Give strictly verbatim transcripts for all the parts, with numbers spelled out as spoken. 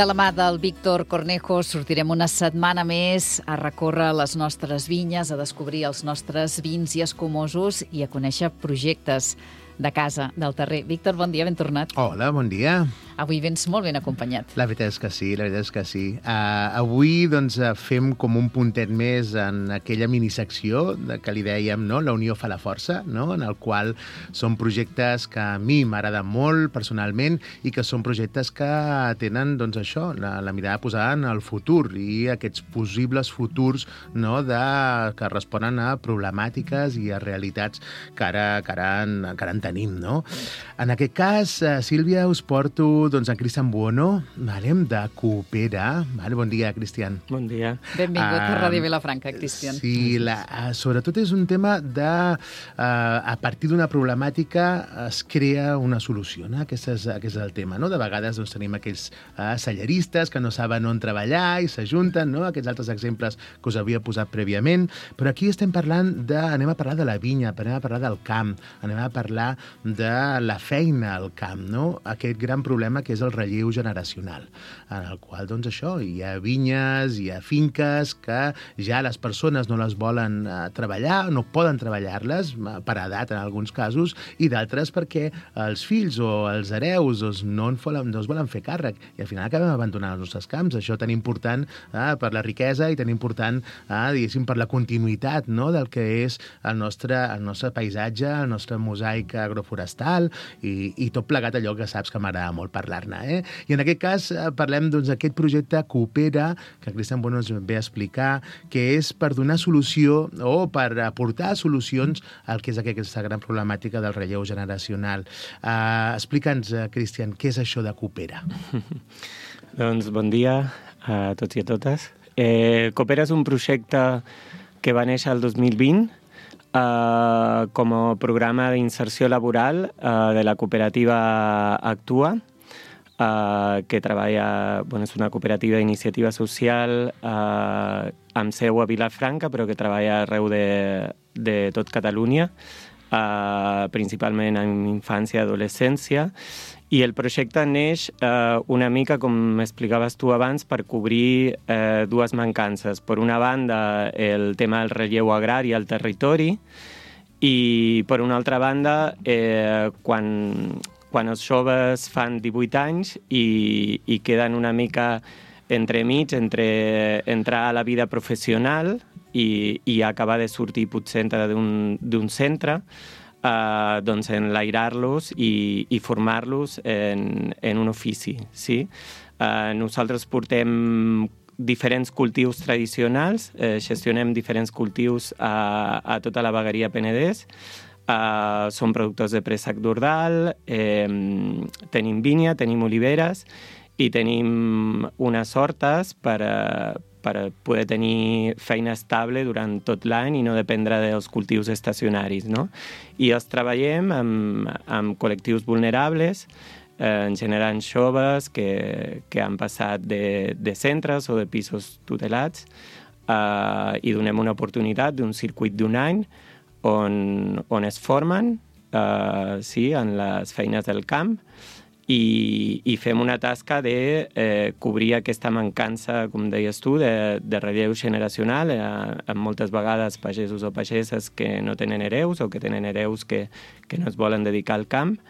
De la mà del Víctor Cornejo sortirem una setmana més a recórrer les nostres vinyes, a descobrir els nostres vins i escumosos i a conèixer projectes de casa, del terrer. Víctor, bon dia, ben tornat. Hola, bon dia. Avui vens molt ben acompanyat. La veritat és que sí, la veritat és que sí. Uh, avui doncs, fem com un puntet més en aquella minissecció de, que li dèiem, no? La unió fa la força, no? En el qual són projectes que a mi m'agraden molt personalment i que són projectes que tenen doncs, això, la, la mirada posada en el futur i aquests possibles futurs, no? de, que responen a problemàtiques i a realitats que ara, que ara, en, que ara en tenim. No? En aquest cas, Sílvia, us porto doncs, en Cristian Buono, vale, de Coopera. Vale, bon dia, Cristian. Bon dia. Benvingut uh, a Ràdio Vilafranca, Cristian. Sí, la, uh, sobretot és un tema de... Uh, a partir d'una problemàtica es crea una solució, no? Aquest és, aquest és el tema, no? De vegades doncs, tenim aquells uh, selleristes que no saben on treballar i s'ajunten, no? Aquests altres exemples que us havia posat prèviament, però aquí estem parlant de... Anem a parlar de la vinya, anem a parlar del camp, anem a parlar de la feina al camp, no? Aquest gran problema que és el relleu generacional, en el qual, doncs, això, hi ha vinyes, hi ha finques que ja les persones no les volen uh, treballar, no poden treballar-les, uh, per edat en alguns casos, i d'altres perquè els fills o els hereus doncs, no, en volen, no es volen fer càrrec, i al final acabem abandonant els nostres camps. Això tan important uh, per la riquesa i tan important, uh, diguéssim, per la continuïtat, no?, del que és el nostre, el nostre paisatge, el nostre mosaic agroforestal i, i tot plegat allò que saps que m'agrada molt parlar-ne. Eh? I en aquest cas eh, parlem doncs, d'aquest projecte Coopera, que Cristian Bueno ens ve a explicar, que és per donar solució o per aportar solucions al que és aquesta gran problemàtica del relleu generacional. Uh, Explica'ns, uh, Cristian, què és això de Coopera? Doncs bon dia a tots i a totes. Eh, Coopera és un projecte que va néixer el dos mil vint Uh, com a programa d'inserció laboral uh, de la cooperativa Actua, uh, que treballa, bueno, és una cooperativa d'iniciativa social uh, amb seu a Vilafranca, però que treballa arreu de, de tot Catalunya, uh, principalment en infància i adolescència. I el projecte neix eh, una mica, com explicaves tu abans, per cobrir eh, dues mancances. Per una banda, el tema del relleu agrari al territori i, per una altra banda, eh, quan, quan els joves fan divuit anys i, i queden una mica entremig entre entrar a la vida professional i, i acabar de sortir potser d'un, d'un centre, Uh, doncs enlairar-los i, i formar-los en, en un ofici. Sí? Uh, nosaltres portem diferents cultius tradicionals, eh, gestionem diferents cultius a, a tota la vegueria Penedès. Uh, som productors de préssec d'Ordal, eh, tenim vinya, tenim oliveres i tenim unes hortes per a, per poder tenir feina estable durant tot l'any i no dependre dels cultius estacionaris, no? I els treballem amb, amb col·lectius vulnerables, eh, en general joves que, que han passat de, de centres o de pisos tutelats, eh, i donem una oportunitat d'un circuit d'un any on, on es formen, eh, sí, en les feines del camp, I, i fem una tasca de eh, cobrir aquesta mancança, com deies tu, de, de relleu generacional, eh, amb moltes vegades pagesos o pageses que no tenen hereus o que tenen hereus que, que no es volen dedicar al camp.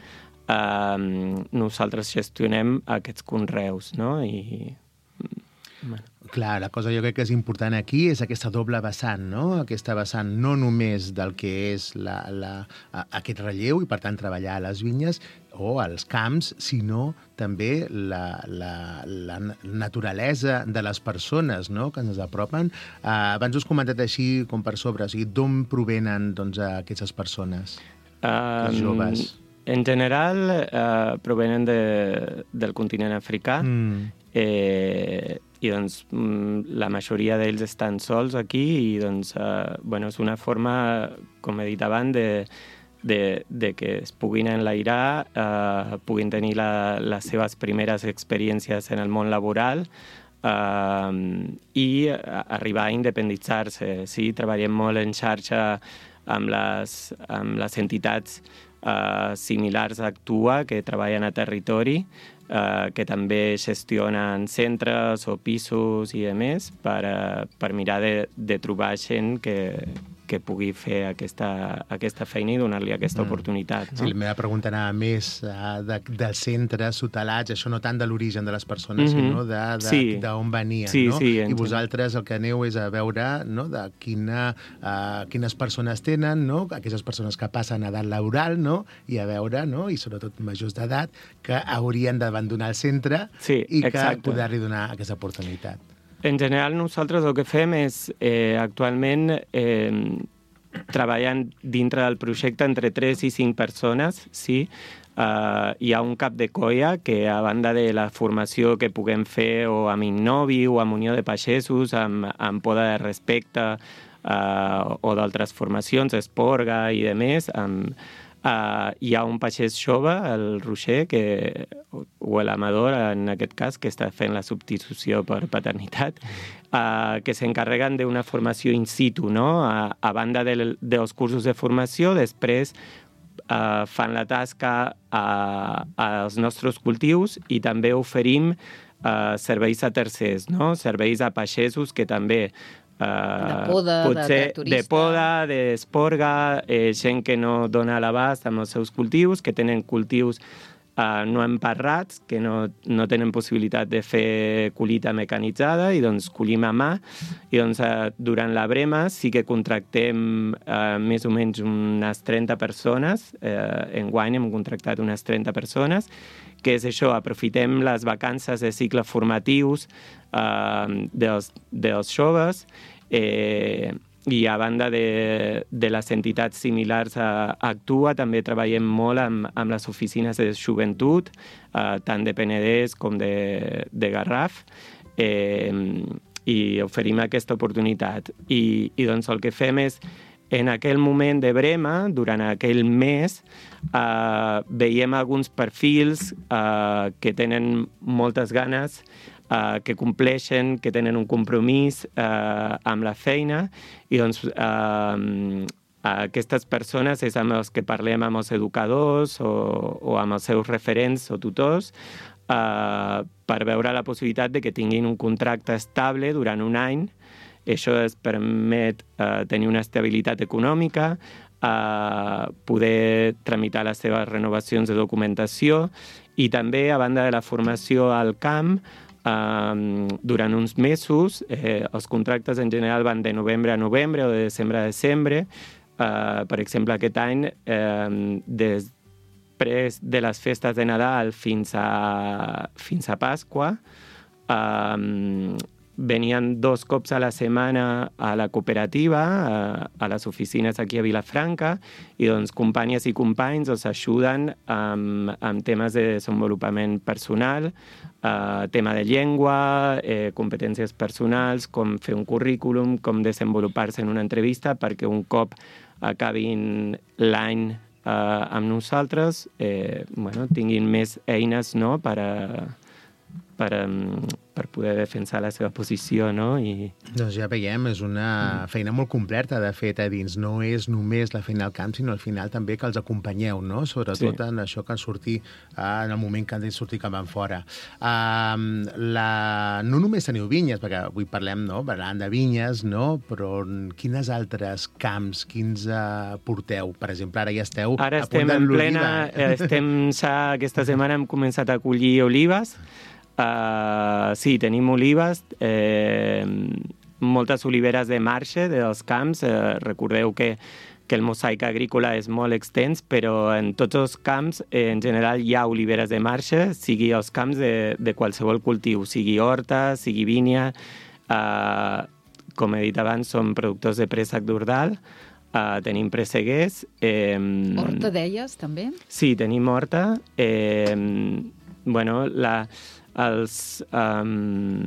Eh, nosaltres gestionem aquests conreus, no? I, bueno. Clar, la cosa jo crec que és important aquí és aquesta doble vessant, no? Aquesta vessant no només del que és la, la, aquest relleu i, per tant, treballar a les vinyes o als camps, sinó també la, la, la naturalesa de les persones, no?, que ens apropen. Uh, abans us he comentat així com per sobre, o sigui, d'on provenen doncs, aquestes persones, um, els joves? En general, uh, provenen de, del continent africà. Mm. Eh, i doncs la majoria d'ells estan sols aquí i doncs, eh, bueno, és una forma, com he dit abans, de, de, de que es puguin enlairar, eh, puguin tenir la, les seves primeres experiències en el món laboral eh, i arribar a independitzar-se. Sí, treballem molt en xarxa amb les, amb les entitats uh, similars a Actua, que treballen a territori, uh, que també gestionen centres o pisos i demés per, uh, per mirar de, de trobar gent que, que pugui fer aquesta, aquesta feina i donar-li aquesta mm. oportunitat. No? Sí, la meva pregunta anava més uh, de, dels centres tutelats, això no tant de l'origen de les persones, mm-hmm. sinó d'on sí. venien. Sí, no? sí, I vosaltres el que aneu és a veure, no?, de quina, uh, quines persones tenen, no?, aquestes persones que passen a edat laboral, no?, i a veure, no?, i sobretot majors d'edat, que haurien d'abandonar el centre sí, i que exacte. poder-li donar aquesta oportunitat. En general, nosaltres el que fem és, eh, actualment, eh, treballant dintre del projecte entre tres i cinc persones, sí. Uh, hi ha un cap de colla que, a banda de la formació que puguem fer o amb Innovi o amb Unió de Pagesos, amb, amb Poda de Respecte uh, o d'altres formacions, Esporga i demés, amb Uh, hi ha un pagès jove, el Roger, que, o l'Amador, en aquest cas, que està fent la substitució per paternitat, uh, que s'encarreguen d'una formació in situ, no? A, a banda de, dels cursos de formació, després uh, fan la tasca a, als nostres cultius i també oferim uh, serveis a tercers, no? Serveis a pagesos que també Uh, de poda, potser de, de turista. De poda, d'esporga, eh, gent que no dona l'abast amb els seus cultius, que tenen cultius uh, no emparrats, que no, no tenen possibilitat de fer collita mecanitzada, i doncs collim a mà. I doncs uh, durant la brema sí que contractem uh, més o menys unes trenta persones, uh, enguany hem contractat unes trenta persones, que és això, aprofitem les vacances de cicles formatius uh, dels, dels joves, eh, i a banda de, de les entitats similars a, a Actua, també treballem molt amb, amb les oficines de joventut, uh, tant de Penedès com de, de Garraf, eh, i oferim aquesta oportunitat. I, i doncs el que fem és, en aquell moment de brema, durant aquell mes, eh, veiem alguns perfils eh, que tenen moltes ganes, eh, que compleixen, que tenen un compromís eh, amb la feina, i doncs eh, aquestes persones és amb els que parlem amb els educadors o, o amb els seus referents o tutors, eh, per veure la possibilitat de que tinguin un contracte estable durant un any. Això es permet uh, tenir una estabilitat econòmica, uh, poder tramitar les seves renovacions de documentació, i també, a banda de la formació al camp, uh, durant uns mesos, eh, els contractes en general van de novembre a novembre o de desembre a desembre. Uh, per exemple, aquest any, eh, després de les festes de Nadal fins a, fins a Pasqua, uh, venien dos cops a la setmana a la cooperativa, a, a les oficines aquí a Vilafranca, i doncs companyes i companys els ajuden amb, amb temes de desenvolupament personal, eh, tema de llengua, eh, competències personals, com fer un currículum, com desenvolupar-se en una entrevista, perquè un cop acabin l'any eh, amb nosaltres, eh, bueno, tinguin més eines, no?, per a Per, per poder defensar la seva posició, no? I... Doncs ja veiem, és una feina molt completa, de fet, a dins. No és només la feina al camp, sinó al final també que els acompanyeu, no? Sobretot sí. En això que han sortit, en el moment que han de sortir cap enfora. Uh, la... No només teniu vinyes, perquè avui parlem, no?, parlant de vinyes, no?, però quines altres camps, quins uh, porteu? Per exemple, ara ja esteu ara a punt de l'oliva. Ara estem en plena... Estem ja, aquesta setmana hem començat a collir olives. Uh, sí, tenim olives, eh, moltes oliveres de marxa dels camps. Eh, recordeu que, que el mosaic agrícola és molt extens, però en tots els camps, eh, en general, hi ha oliveres de marxa, sigui els camps de, de qualsevol cultiu, sigui horta, sigui vinya. Uh, com he dit abans, som productors de préssec d'Ordal, uh, tenim presseguers. Eh, horta, deies, també? Sí, tenim horta. Eh, bueno, la... Els, um,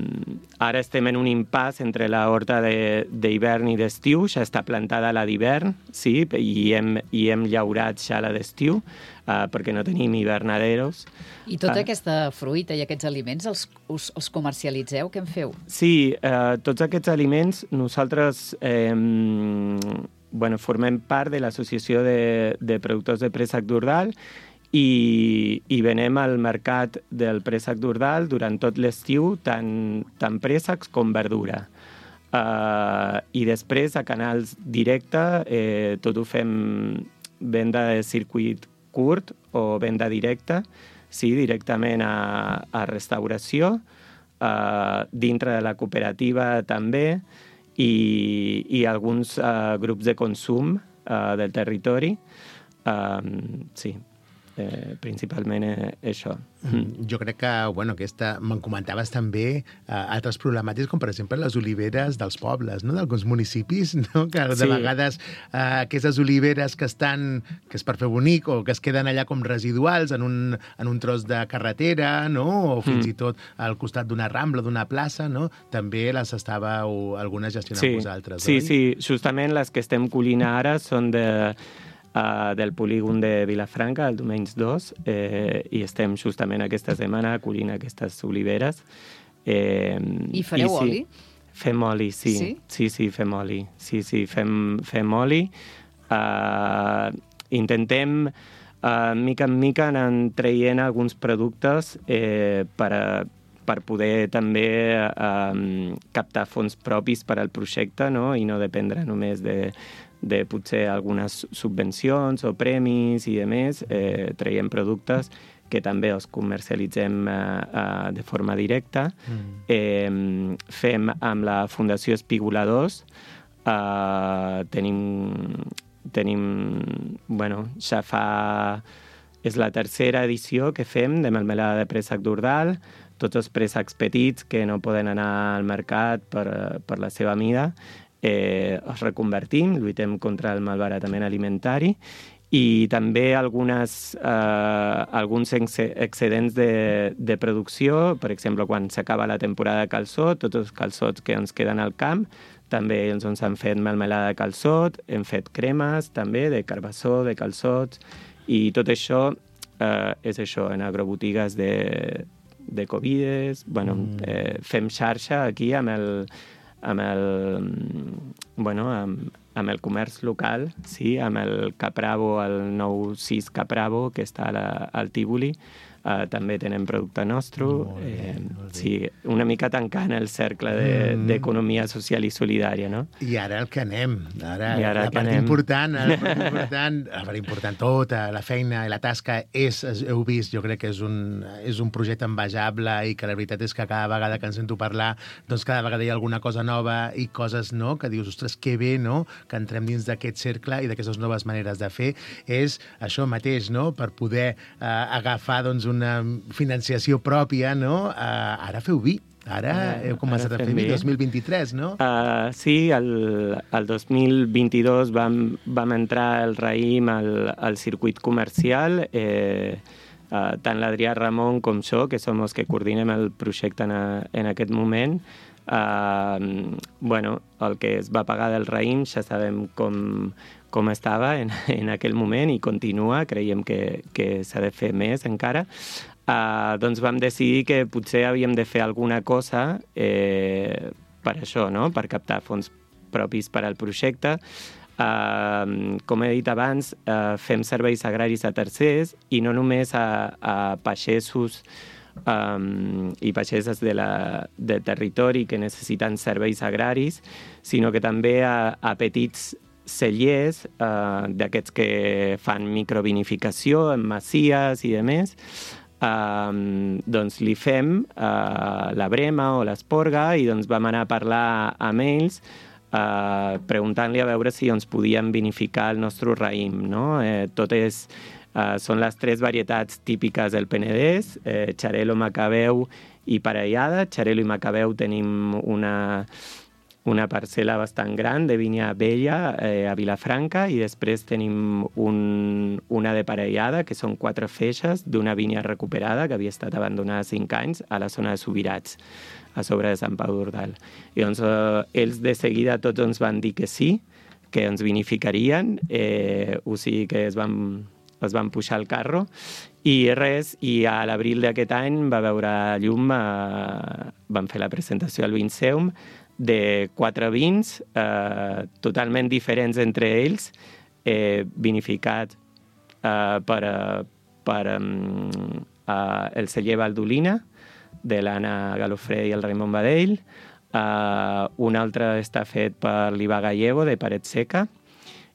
ara estem en un impàs entre la horta d'hivern i d'estiu, ja està plantada la d'hivern, sí, i hem, i hem llaurat ja la d'estiu, uh, perquè no tenim hivernaderos. I tota uh, aquesta fruita i aquests aliments els, us, els comercialitzeu? Què en feu? Sí, uh, tots aquests aliments nosaltres... Eh, bueno, formem part de l'Associació de, de Productors de Préssec d'Ordal i, i venem al mercat del préssec d'Ordal durant tot l'estiu tant, tant préssecs com verdura. Uh, I després a canals directe eh, tot ho fem venda de circuit curt o venda directa, sí, directament a, a restauració, uh, dintre de la cooperativa també, i, i alguns uh, grups de consum uh, del territori. Uh, sí, eh, principalment eh, això. Mm. Jo crec que, bueno, aquesta, me'n comentaves també eh, altres problemàtiques, com per exemple les oliveres dels pobles, no? D'alguns municipis, no? Que de sí. vegades eh, aquestes oliveres que estan, que és per fer bonic, o que es queden allà com residuals en un, en un tros de carretera, no? O fins mm. i tot al costat d'una rambla, d'una plaça, no? També les estàveu algunes gestionant sí. vosaltres, sí, oi? Sí, sí, justament les que estem collint ara són de... Uh, del polígon de Vilafranca, el Domenys dos, eh, i estem justament aquesta setmana collint aquestes oliveres. Eh, I fareu i sí, oli? Fem oli, sí. Sí, sí, sí fem oli. Sí, sí, fem, fem oli. Uh, intentem, uh, mica en mica, anar traient alguns productes eh, per a per poder també eh, captar fons propis per al projecte, no? I no dependre només de, de potser algunes subvencions o premis i demés. Eh, traiem productes que també els comercialitzem eh, eh, de forma directa. Mm. Eh, fem amb la Fundació Espigoladors. Eh, tenim, tenim, bueno, ja fa... És la tercera edició que fem de melmelada de préssec d'Ordal. Tots els préssecs petits que no poden anar al mercat per, per la seva mida, eh, els reconvertim, lluitem contra el malbaratament alimentari i també algunes, eh, alguns excedents de, de producció, per exemple, quan s'acaba la temporada de calçot, tots els calçots que ens queden al camp, també ens han fet melmelada de calçot, hem fet cremes també de carbassó, de calçots, i tot això eh, és això, en agrobotigues de de Covides, bueno, mm. eh, fem xarxa aquí amb el, amb el, bueno, amb, amb el comerç local, sí, amb el Capravo, el nou sis Capravo, que està a la, al Tívoli. Uh, també tenen producte nostre. Eh, sí, una mica tancant el cercle d'economia de, mm. social i solidària, no? I ara el que anem. Ara, I ara la, que part anem. Important, la part important, la part important tota, la feina i la tasca és, heu vist, jo crec que és un, és un projecte envejable i que la veritat és que cada vegada que en sento parlar, doncs cada vegada hi ha alguna cosa nova i coses, no?, que dius, ostres, que bé, no?, que entrem dins d'aquest cercle i d'aquestes noves maneres de fer. És això mateix, no?, per poder eh, agafar, doncs, una financiació pròpia, no? Uh, ara feu vi. Ara heu començat a fer vi, dos mil vint-i-tres, no? Uh, sí, el, el dos mil vint-i-dos vam, vam entrar el raïm al, al circuit comercial. Eh, uh, tant l'Adrià Ramon com jo, que som els que coordinem el projecte en, a, en aquest moment, uh, bueno, el que es va pagar del raïm ja sabem com, com estava en, en aquell moment i continua, creiem que, que s'ha de fer més encara. Uh, doncs vam decidir que potser havíem de fer alguna cosa eh, per això, no?, per captar fons propis per al projecte. Uh, com he dit abans, uh, fem serveis agraris a tercers i no només a, a pagesos um, i pageses de la, del territori que necessiten serveis agraris, sinó que també a, a petits cellers, uh, d'aquests que fan microvinificació en masies i demés. Uh, doncs li fem uh, la brema o l'esporga i doncs vam anar a parlar amb ells uh, preguntant-li a veure si ens podien vinificar el nostre raïm, no? Eh, totes uh, són les tres varietats típiques del Penedès, eh, Xarel·lo, Macabeu i Parellada. Xarel·lo i Macabeu tenim una... una parcel·la bastant gran de vinya vella eh, a Vilafranca i després tenim un, una de Parellada, que són quatre feixes d'una vinya recuperada que havia estat abandonada cinc anys a la zona de Subirats, a sobre de Sant Pau d'Ordal. I doncs eh, ells de seguida tots ens van dir que sí, que ens vinificarien, eh, o sigui que es van, es van pujar al carro i res, i a l'abril d'aquest any va veure llum, eh, van fer la presentació al Vinceum de quatre vins eh, totalment diferents entre ells, eh, vinificat eh, per, per um, uh, el celler Valdolina, de l'Anna Galofré i el Raimon Badell. Uh, un altre està fet per l'Iva Gallego, de Paret Seca.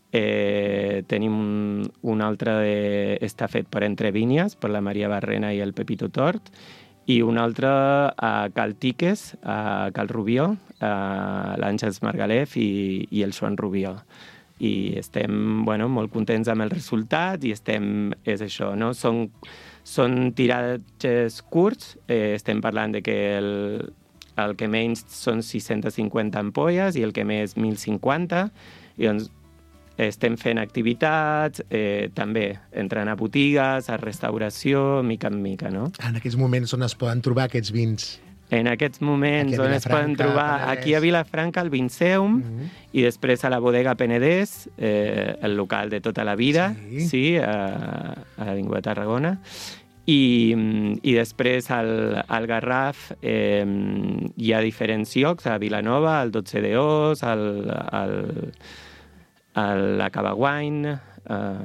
Eh, tenim un, un altre de, està fet per Entre Vinyes, per la Maria Barrena i el Pepito Tort, i un altre a Cal Tiques, a Cal Rubió, a l'Àngels Margalef i, i el Joan Rubió. I estem bueno, molt contents amb el resultat i estem, és això, no? Són, són tiratges curts, eh, estem parlant de que el, el que menys són sis-centes cinquanta ampolles i el que més mil cinquanta, i doncs estem fent activitats, eh, també entrant a botigues, a restauració, mica en mica, no? En aquests moments on es poden trobar aquests vins? En aquests moments on es poden trobar Penedès. Aquí a Vilafranca, al Vinceum, mm-hmm. i després a la bodega Penedès, eh, el local de tota la vida, sí, sí a, a l'Avinguda Tarragona, i, i després al, al Garraf eh, hi ha diferents llocs, a Vilanova, al dotze de Os, al... al a la Cava Wine, uh,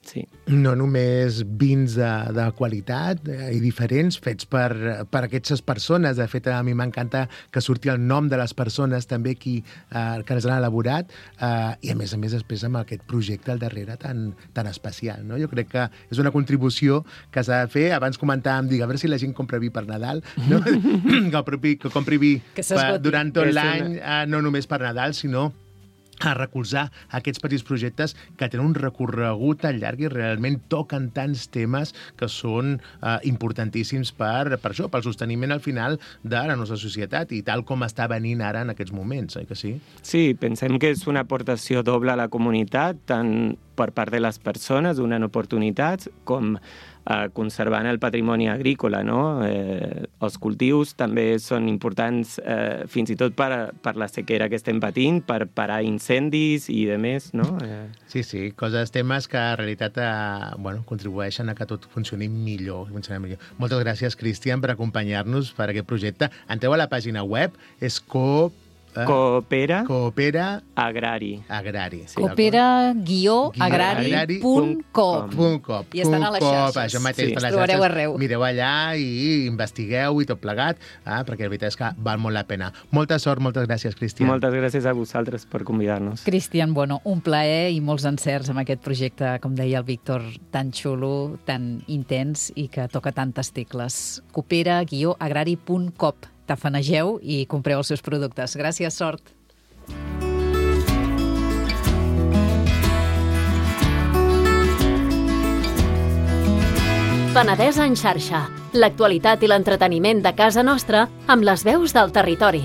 sí. No només vins de, de qualitat eh, i diferents, fets per, per aquestes persones. De fet, a mi m'encanta que surti el nom de les persones també qui, eh, que les han elaborat, eh, i a més a més després amb aquest projecte al darrere tan, tan especial. No? Jo crec que és una contribució que s'ha de fer. Abans comentàvem, dic, a veure si la gent compra vi per Nadal, no? que, propi, que compri vi per, durant tot l'any, eh, no només per Nadal, sinó a recolzar aquests petits projectes que tenen un recorregut tan llarg i realment toquen tants temes que són eh, importantíssims per, per això, pel sosteniment al final de la nostra societat i tal com està venint ara en aquests moments, oi que sí? Sí, pensem que és una aportació doble a la comunitat, tant per part de les persones, donant oportunitats, com eh, conservant el patrimoni agrícola, no? Eh, els cultius també són importants eh, fins i tot per, per la sequera que estem patint, per parar incendis i de més, no? Eh... Sí, sí, coses, temes que en realitat eh, bueno, contribueixen a que tot funcioni millor, funcioni millor. Moltes gràcies, Cristian, per acompanyar-nos per aquest projecte. Entreu a la pàgina web, és Coop Coopera, Coopera Agrari. Agrari. Sí, Coopera guió agrari punt com. I estan a les xarxes. Això mateix, sí, per les trobareu xarxes. Arreu. Mireu allà i investigueu i tot plegat, ah, perquè la veritat és que val molt la pena. Molta sort, moltes gràcies, Cristian. Moltes gràcies a vosaltres per convidar-nos. Cristian, bueno, un plaer i molts encerts amb aquest projecte, com deia el Víctor, tan xulo, tan intens i que toca tantes tecles. Coopera guió agrari punt com. Tafanegeu i compreu els seus productes. Gràcies, sort. Penedès en xarxa. L'actualitat i l'entreteniment de casa nostra amb les veus del territori.